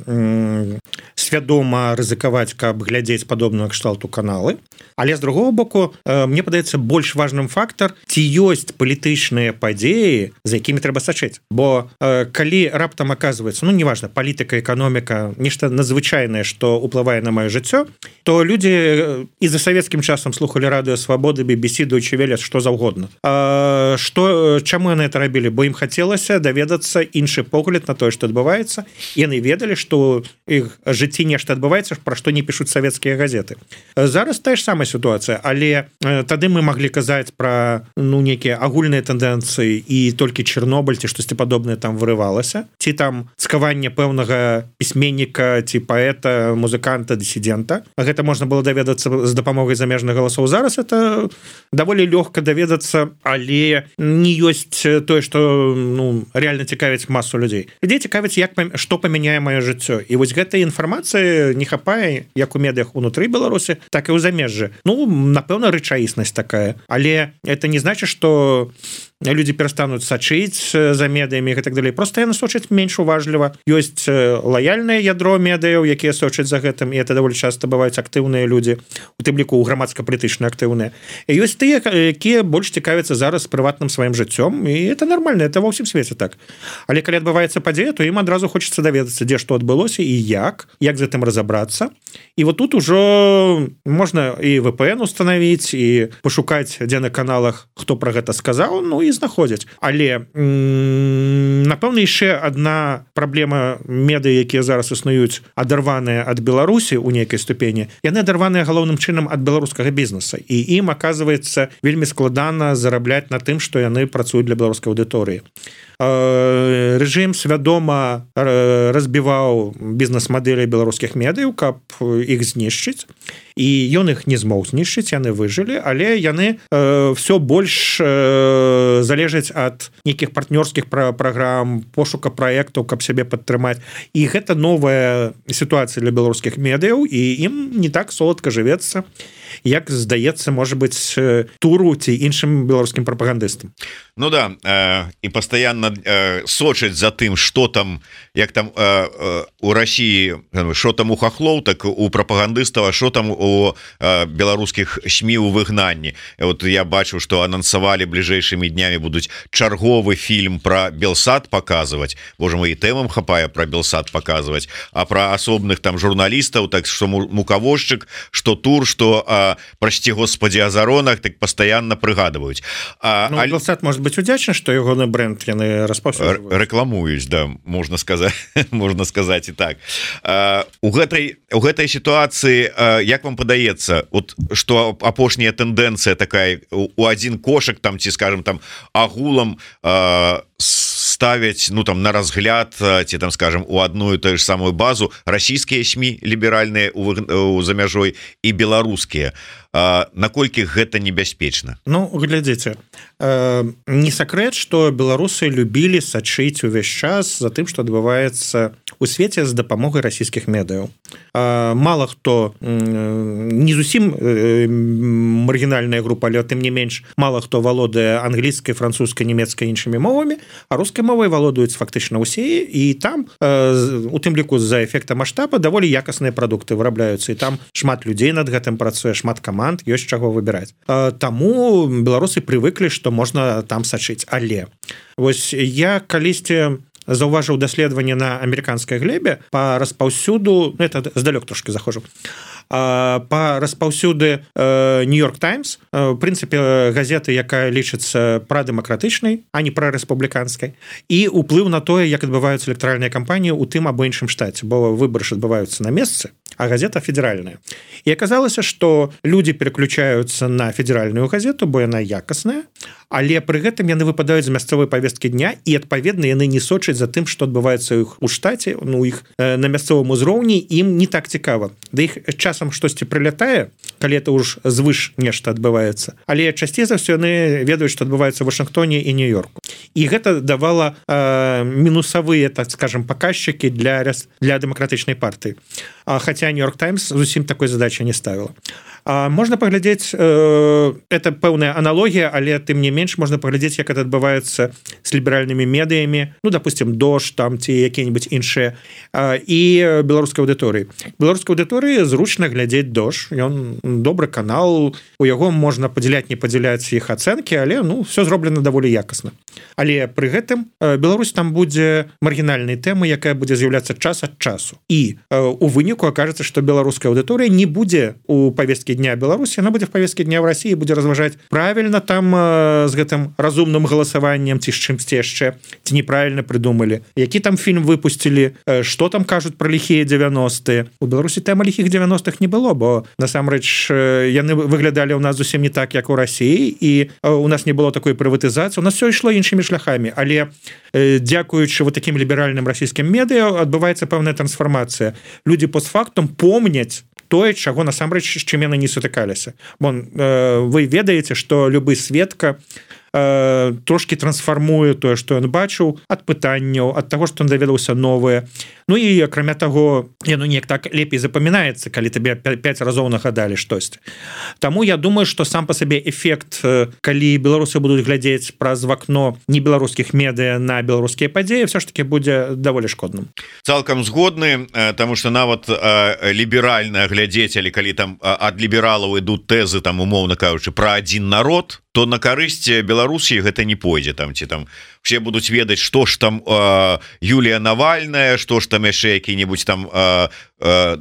свядома рызыкаваць, каб глядзець падобную кшталту каналы. Але з другого боку, мне падаецца, больш важным фактор, ці ёсць палітычныя падзеі, за якімі трэба сачыць. Бо калі раптам аказваецца, ну, неважна, палітыка, эканоміка, нешта надзвычайнае, што ўплывае на маё жыццё, то людзі і за савецкім часам слухалі радыё Свабоды, BBC, Deutsche Welle, што заўгодна. Чаму яны это рабілі? Бо ім хацелася даведацца іншы погляд на тое, што адбываецца. Яны ведалі, што іх жыцці нешта адбываецца, пра што не пішуць савецкія газеты. Зараз тая ж самая сітуацыя, але тады мы маглі казаць пра, ну, нейкія агульныя тэндэнцыі і толькі Чэрнобыль ці штосьці падобнае там вырывалася, ці там цкаванне пэўнага пісьменніка ці паэта, музыканта, дысідэнта. Гэта можна было даведацца з дапамогай замежных галасоў. Зараз это даволі лёгка даведацца, але не ёсць тое, што, ну, реально цікавіць масу людзей. Людзей цікавіць, што памяняе маё жыццё. І вось гэтай інфармацыі не хапае як у медыях унутры Беларусі, так і ў замежжы. Ну, напэўна, рэчаіснасць такая. Але это не значыць, што людзі перастануць сачыць за медыямі і так далей. Просто яны сочаць менш уважліва. Ёсць лаяльнае ядро медыяў, якія сочаць за гэтым, і это даволі часта бываюць актыўныя людзі, у тым ліку грамадска-палітычна актыўныя. І ёсць тыя, якія больш цікавяцца зараз прыватным сваім жыццём, і это нормально, это ва ўсім свеце так. Але калі адбываецца падзея, то ім адразу хочацца даведацца, дзе што адбылося і як з гэтым разабрацца. І вот тут ужо можна і VPN устанавіць, і пашукаць, дзе на каналах хто пра гэта сказаў, ну і знаходзяць. Але напэўна, яшчэ адна праблема медыа, якія зараз існуюць, адарваныя ад Беларусі ў нейкай ступені, яны адарваныя галоўным чынам ад беларускага бізнеса, і ім аказваецца вельмі складана зарабляць на тым, што яны працуюць для беларускай аўдыторыі. Рэжым свядома разбіваў бізнес-мадэлі беларускіх медыяў, каб іх знішчыць, і ён іх не змог знішчыць, яны выжылі, але яны все больш залежаць ад нейкіх партнёрскіх праграм, пошука праектаў, каб сябе падтрымаць. І гэта новая сітуацыя для беларускіх медыяў, і ім не так соладка жывецца, як здаецца, можа быць, Туру ці іншым беларускім прапагандыстам. Ну да, і пастаянна сочаць за тым, што там, як там у Расіі, што там у хахлоў, так у прапагандыстаў, а што там у беларускіх СМІ у выгнанні. Вот я бачу, што анансавалі бліжэйшымі днямі будуць чарговы фільм пра Белсат паказваць. Боже мой, і тэмам хапае пра Белсат паказваць, а пра асобных там журналістаў, так што мукавозчык, што Тур, што прасці господи азаронах так постоянно прыгадываюць Белсат может быть удзячны что ягоны бренд яны рекламуюць да можна сказать можна сказать і так у гэтай ситуации як вам падаецца вот что апошняя тэндэнцыя такая у один кошек там ці скажем там агулам ставить ну там на разгляд ці там скажем у одну и ту же самую базу российские СМИ либеральные за мяжой и беларускія наколькі гэта небяспечна Ну глядзіце не сакрэт что беларусы любілі сачыць увесь час за тым что адбываецца у свеце з дапамогай расійскіх медыяў мало хто не зусім маргінальная група але тым не менш мало хто валодае англійскай французскай нямецкай іншымі мовамі а рускай мовай валодаюць фактычна ўсе і там у тым ліку з-за эфекта маштаба даволі якасныя прадукты вырабляюцца і там шмат людзей над гэтым працуе шмат каманд ёсць чаго выбіраць таму беларусы прывыклі што можна там сачыць але вось я калісьці заўважыў даследаванне на амерыканскай глебе по распаўсюду это здалёк трошки захожу по распаўсюды Нью-Йорк Таймс в прынцыпе газеты якая лічыцца прадэмакратычнай а не прарэспубліканскай і уплыў на тое як адбываюцца электаральныя кампаніі у тым або іншым штаце бо выбары ж адбываюцца на месцы а газета федеральная і аказалася что люди переключаются на федеральную газету бо яна якасная але пры гэтым яны выпадаюць з мясцовай повесткі дня і адпаведна яны не сочаць за тым что адбываецца іх у штаце ну іх на мясцовым узроўні ім не так цікава да іх часам штосьці прылятае калі это ўж звыш нешта адбываецца але часцей за ўсё яны ведаюць што адбываецца в Вашынгтоне і Нью-Йорку і гэта давала мінусавыя так скажем паказчыкі для дэмакратычнай партыі хотя Нью-Йорк Таймс зусім такой задачи не ставіла можна паглядзець это пэўная аналогія але тым не менш можна паглядзець як это адбываецца с ліберальнымі медыямі ну допустим дождь там ці якія-нибудь іншыя і беларускай аўдыторыі зручна глядзець дождь ён добры канал у яго можна падзяляць не падзяляць іх ацэнкі але ну все зроблена даволі якасна але пры гэтым Беларусь там будзе маргінальнай тэмы якая будзе з'яўляцца час ад часу і у выніку окажется что беларуская аўдыторыя не будзе у повестке дня Беларусі она будзе в повестке дня в России будзе разважаць правильно там з гэтым разумным галасаваннем ці з чымсьці яшчэ ці неправильно придумали які там фильм выпустили что там кажуць про ліхія 90-е у Беларусі тэма ліхіх 90-х не было бо насамрэч яны выглядалі у нас зусім не так як у России і у нас не было такой прыватызацыі у нас все ішло іншымі шляхами але дзякуючы вот таким ліберальным расійскім медыа адбываецца пэўная трансфармацыя люди постфактум помняць тое чаго насамрэч з чым яны не сутыкаліся вы ведаеце что любы сведка трошки трансфармуе тое што ён бачыў ад пытанняў ад таго што ён даведаўся новае ну і акрамя таго яно неяк так лепей запамінаецца калі табе 5 разоў нагадалі штосьці Таму я думаю что сам по сабе эфект калі беларусы будуць глядзець праз вакно не беларускіх медыа на беларускія падзеі все ж таки будзе даволі шкодным цалкам згодны тому что нават ліберальна глядзець але калі там ад лібералаў ідуць тэзы там умоўна кажучы про один народ то на карысць Беларусі гэта не пойдзе там ці там все будуць ведаць што ж там Юлія Навальная што ж там яшчэ які-нибудь там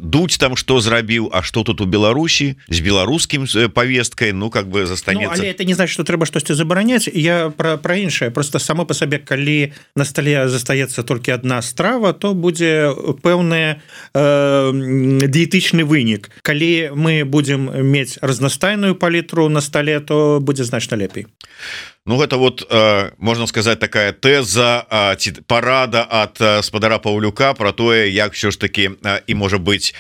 дуть там что зрабіў а что тут у Беларусі з беларускім повесткой ну как бы застанецца але это не значит что трэба штосьці забараняць я про іншае просто само по сабе калі на столе застаецца толькі одна страва то будзе пэўная дыетычны вынік калі мы будем мець разнастайную палітру на столе то будзе значна лепей Ну гэта вот можна сказать такая тэза ці парада ад спадара Паўлюка про тое як все ж таки і можа быть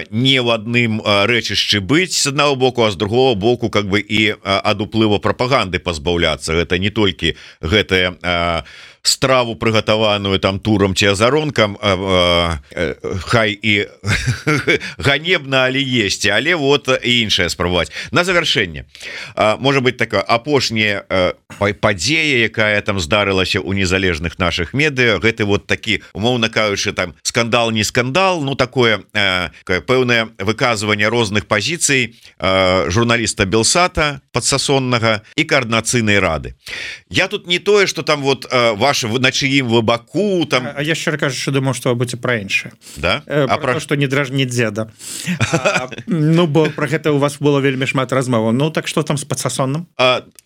не в адным рэчышчы быць с аднаго боку а з другого боку как бы і ад уплыву прапаганды пазбаўляцца гэта не толькі гэтая страву прыгатаваную там турам ці азаронкам хай і ганебна але есці але вот і іншае спрабаваць на завяршэнне можа быть такая апошняя падзея якая там здарылася у незалежных наших медыа гэты вот такі умоўна кажучы там скандал не скандал ну такое пэўнае выказванне розных пазіцый журналіста Белсата подсасоннага і коаардынацыйнай рады я тут не тое что там вот ваш ваш на чыім вы баку там. А я щиро кажучы думаю, што вы будете пра іншае, да? про то, што не дражні дзеда. Ну бо про гэта у вас было вельмі шмат размоваў. Ну так что там с подсасонным?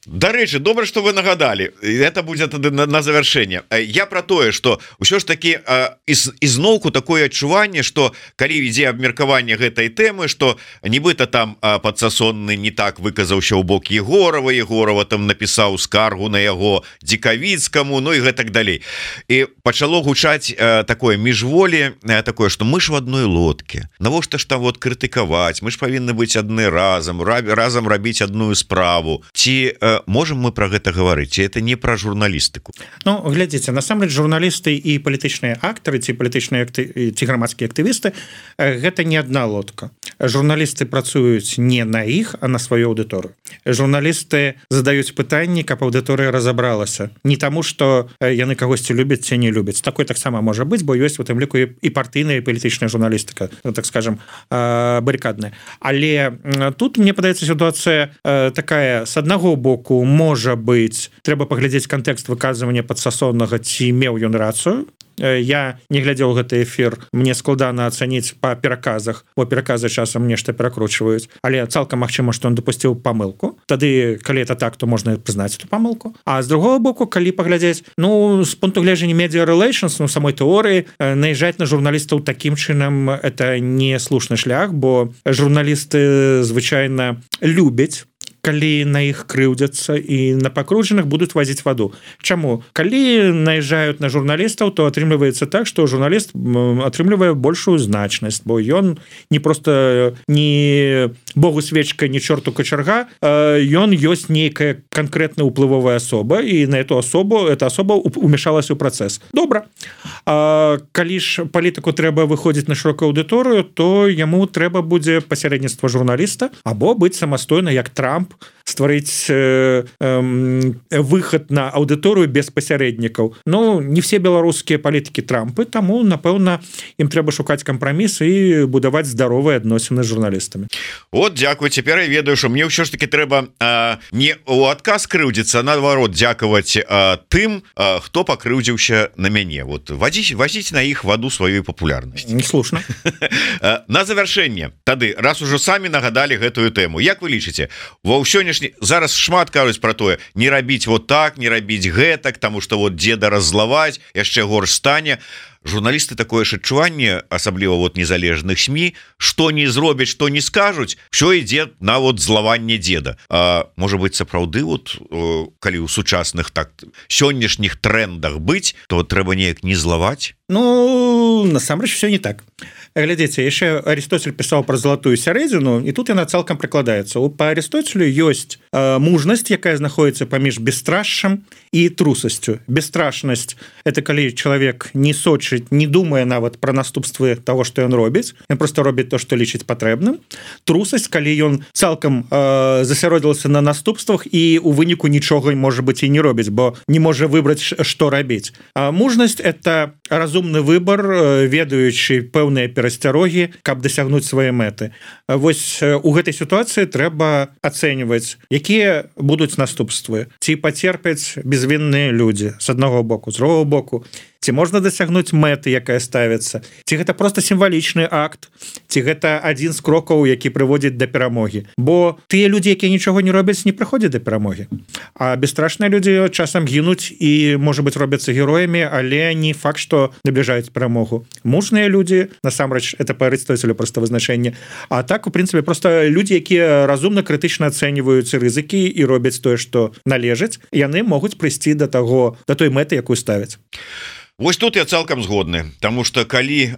Дарэчы, добра, что вы нагадали, это будет на завершение. Я про тое, что ўсё ж таки ізноўку такое адчуванне, что калі ідзе абмеркаванне гэтай тэмы, что нібыта там подсасонны не так выказаўся ў бок Егорова там напісаў скаргу на яго Дзекавіцкаму, ну и гэтак далей. І пачало гучаць такое міжволі, такое, что мы ж в одной лодке, навошта ж там вот крытыкаваць, мы ж павінны быць адны разам рабіць адную справу. Ці можем мы про гэта гаварыць, ці это не про журналістыку? Ну глядзіце, насамрэч журналісты і палітычныя актары ці палітычныя ці грамадскія актывісты гэта не одна лодка. Журналісты працуюць не на іх, а на сваю аўдыторыю. Журналісты задаюць пытанні, каб аўдыторыя разабралася, не таму што яны кагосьці любяць ці не любяць. Такое таксама можа быць, бо ёсць у тым ліку і партыйная і палітычная журналістыка, так скажем, барыкадная. Але тут мне падаецца сітуацыя такая, с аднаго боку можа быць, трэба паглядзець кантэкст выказвання падсасоннага, ці меў ён рацыю. Я не глядзеў гэты эфір, мне складана ацаніць па пераказах, бо пераказы часам нешта перакручваюць, але цалкам магчыма, што ён дапусціў памылку. Тады калі это так, то можна прызнаць эту памылку. А з другого боку, калі паглядзець, ну з пункту гледжання media relations, ну самой тэорыі, наезжаць на журналістаў такім чынам это не слушны шлях, бо журналісты звычайна любяць, калі на іх крыўдзяцца і на пакручаных будуць вазіць ваду. Чаму? Калі наезжаюць на журналістаў, то атрымліваецца так, што журналіст атрымлівае большую значнасць, бо ён не просто не богу свечка, не чорту качарга, ён ёсць нейкая канкрэтная ўплывовая асоба, і на эту асобу эта асоба умешалась у працэс. Добра. Калі ж палітыку трэба выходзіць на шырокую аўдыторыю, то яму трэба будзе пасярэдніцтва журналіста або быць самастойна, як Трамп, стварыць выхад на аўдыторыю без пасярэднікаў. Ну, не все беларускія палітыкі Трампы, таму, напэўна, ім трэба шукаць кампраміс і будаваць здаровыя адносіны з журналістамі. Вот, дзякуй, цяпер я ведаю, што мне ўсё ж таки трэба не ў адказ крыўдзіцца, а наадварот дзякаваць тым, хто пакрыўдзіўся на мяне. Вот вазіць на іх ваду сваёй папулярнасці. Слушна. На завяршэнне, тады, раз ужо самі нагадалі гэтую тэму, як вы лічыце, ва сённяшні зараз шмат кажуць про тое, не рабіць вот так, не рабіць гэтак, таму што вот дзеда раззлаваць, яшчэ горш стане. Журналісты такое ж адчуванне, асабліва вот незалежных СМІ, што не зробяць, што не скажуць, ўсё ідзе на вот злаванне дзеда. Можа быць, сапраўды вот калі ў сучасных так сённяшніх трендах быць, то трэба неяк не злаваць? Ну, насамрэч все не так. Глядзіце, яшчэ Арыстоцель пісаў пра залатую сярэдзіну, і тут яна цалкам прыкладаецца. Па Арыстоцелю ёсць мужнасць, якая знаходіцца паміж бесстрашшам і трусасцю. Бесстрашнасць – это калі чалавек не сочыць, не думае нават пра наступствы таго, што ён робіць, ён проста робіць то, што лічыць патрэбным. Трусасць, калі ён цалкам засяродзіўся на наступствах і у выніку нічога, можа быць, і не робіць, бо не можа выбраць, што рабіць. Мужнасць – это разумны выбар, ведаючы пэўныя перасцярогі, каб дасягнуць свае мэты. Вось у гэтай сітуацыі трэба ацэньваць, якія будуць наступствы. Ці пацерпяць безвінныя людзі з аднаго боку, з другого боку. Ці можна дасягнуць мэты, якая ставіцца? Ці гэта проста сімвалічны акт? Ці гэта адзін з крокаў, які прыводзіць да перамогі? Бо тыя людзі, якія нічога не робяць, не прыходзяць да перамогі. А бесстрашныя людзі часам гінуць і, можа быць, робяцца героямі, але не факт, што набліжаюць перамогу. Мужныя людзі, насамрэч, это па Арыстоцелю проста вызначэнне. А так, у прынцыпе, проста людзі, якія разумна, крытычна ацэньваюць рызыкі і робяць тое, што належыць, яны могуць прыйсці да той мэты, якую ставяць. Вось тут я цалкам згодны, тому что калі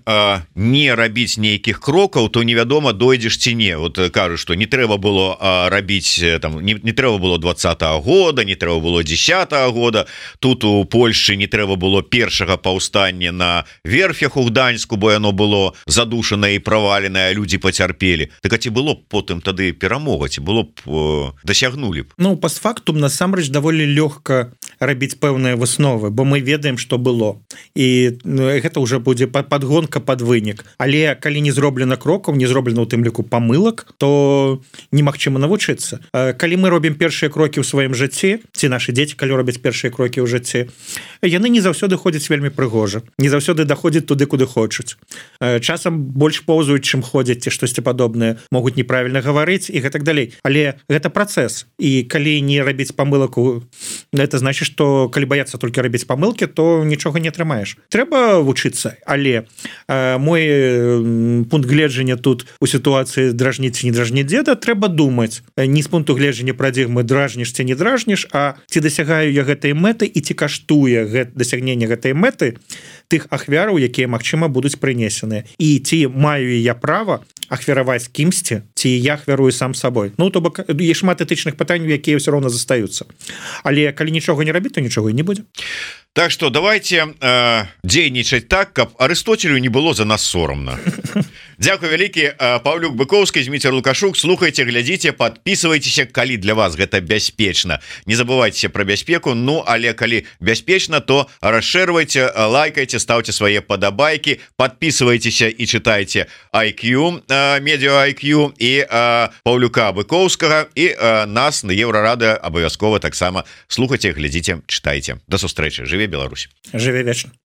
не рабіць нейкіх крокаў, то невядома, дойдзеш ці не. Вот кажуць, што не трэба было рабіць там, не трэба было 20-го года, не трэба было 10-го года. Тут у Польшчы не трэба было першага паўстання на верфях у Гданьску, бо яно было задушанае і праваленае, а людзі пацярпелі. Так а ці было б потым тады перамога, ці было б дасягнулі б? Ну, пастфактум насамрэч даволі лёгка рабіць пэўныя высновы, бо мы ведаем, што было. і гэта уже будзе подгонка под вынік. Але калі не зроблена крокаў, не зроблена у тым ліку памылак, то немагчыма навучыцца. Калі мы робім першыя крокі ў сваім жыцці, ці нашы дзеці калі робяць першыя крокі ў жыцці, яны не заўсёды ходзяць вельмі прыгожа, не заўсёды даходзяць туды, куды хочуць. Часам больш поўзаюць, чым ходзяць ці штосьці падобнае, могуць неправільна гаварыць і гэтак далей. Але гэта працэс, і калі не рабіць памылак, это значит, што калі баяцца толькі рабіць памылкі, то нічога не атрымаеш. Трэба вучыцца, але мой пункт гледжання тут у сітуацыі дражніць ці не дражніць дзеда, трэба думаць не з пункту гледжання парадыгмы дражніш ці не дражніш, а ці дасягаю я гэтай мэты і ці каштуе дасягнення гэтай мэты тых ахвяраў, якія магчыма будуць прынесеныя, і ці маю я права ахвяраваць кімсьці, ці я ахвярую сам сабой. Ну, то бок є шмат этычных пытанняў, якія ўсё роўна застаюцца. Але калі нічога не рабіць, то нічога і не будзе. Так что давайте дзейнічаць так, каб Арыстоцелю не было за нас сорамна. Дзякуй вялікі. Павлюк Быковскі, Зміцер Лукашук. Слухайте, глядзіце, подписывайтеся, калі для вас гэта бяспечна. Не забывайте про бяспеку. Ну, але калі бяспечна, то расшэрвайце, лайкайте, ставьте свае падабайкі, подписывайтеся і читайте IQ, Медиа IQ і Павлюка Быковскага, і нас на Еўрарадыё абавязкова таксама слухайте, глядзіце, читайте. До сустрэчы. Жыве Беларусь. Жыве вечна.